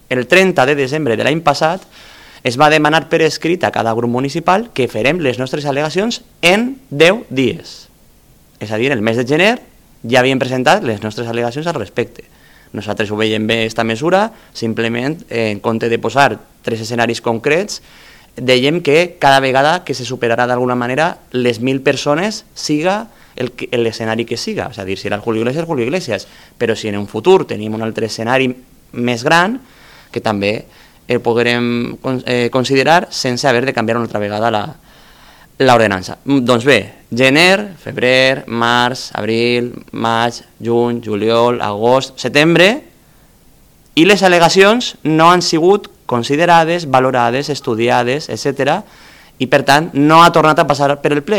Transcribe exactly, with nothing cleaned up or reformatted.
el trenta de desembre de l'any passat es va demanar per escrit a cada grup municipal que farem les nostres al·legacions en deu dies. És a dir, el mes de gener ja havíem presentat les nostres al·legacions al respecte. Nosaltres ho veiem bé, aquesta mesura, simplement, en compte de posar tres escenaris concrets, dèiem que cada vegada que se superarà d'alguna manera les mil persones siga l'escenari que siga. És a dir, si era el Julio Iglesias, Julio Iglesias. Però si en un futur tenim un altre escenari més gran, que també el podrem eh, considerar sense haver de canviar una altra vegada la, l'ordenança. Doncs bé, gener, febrer, març, abril, maig, juny, juliol, agost, setembre, i les al·legacions no han sigut considerades, valorades, estudiades, etcètera, i per tant no ha tornat a passar per el ple.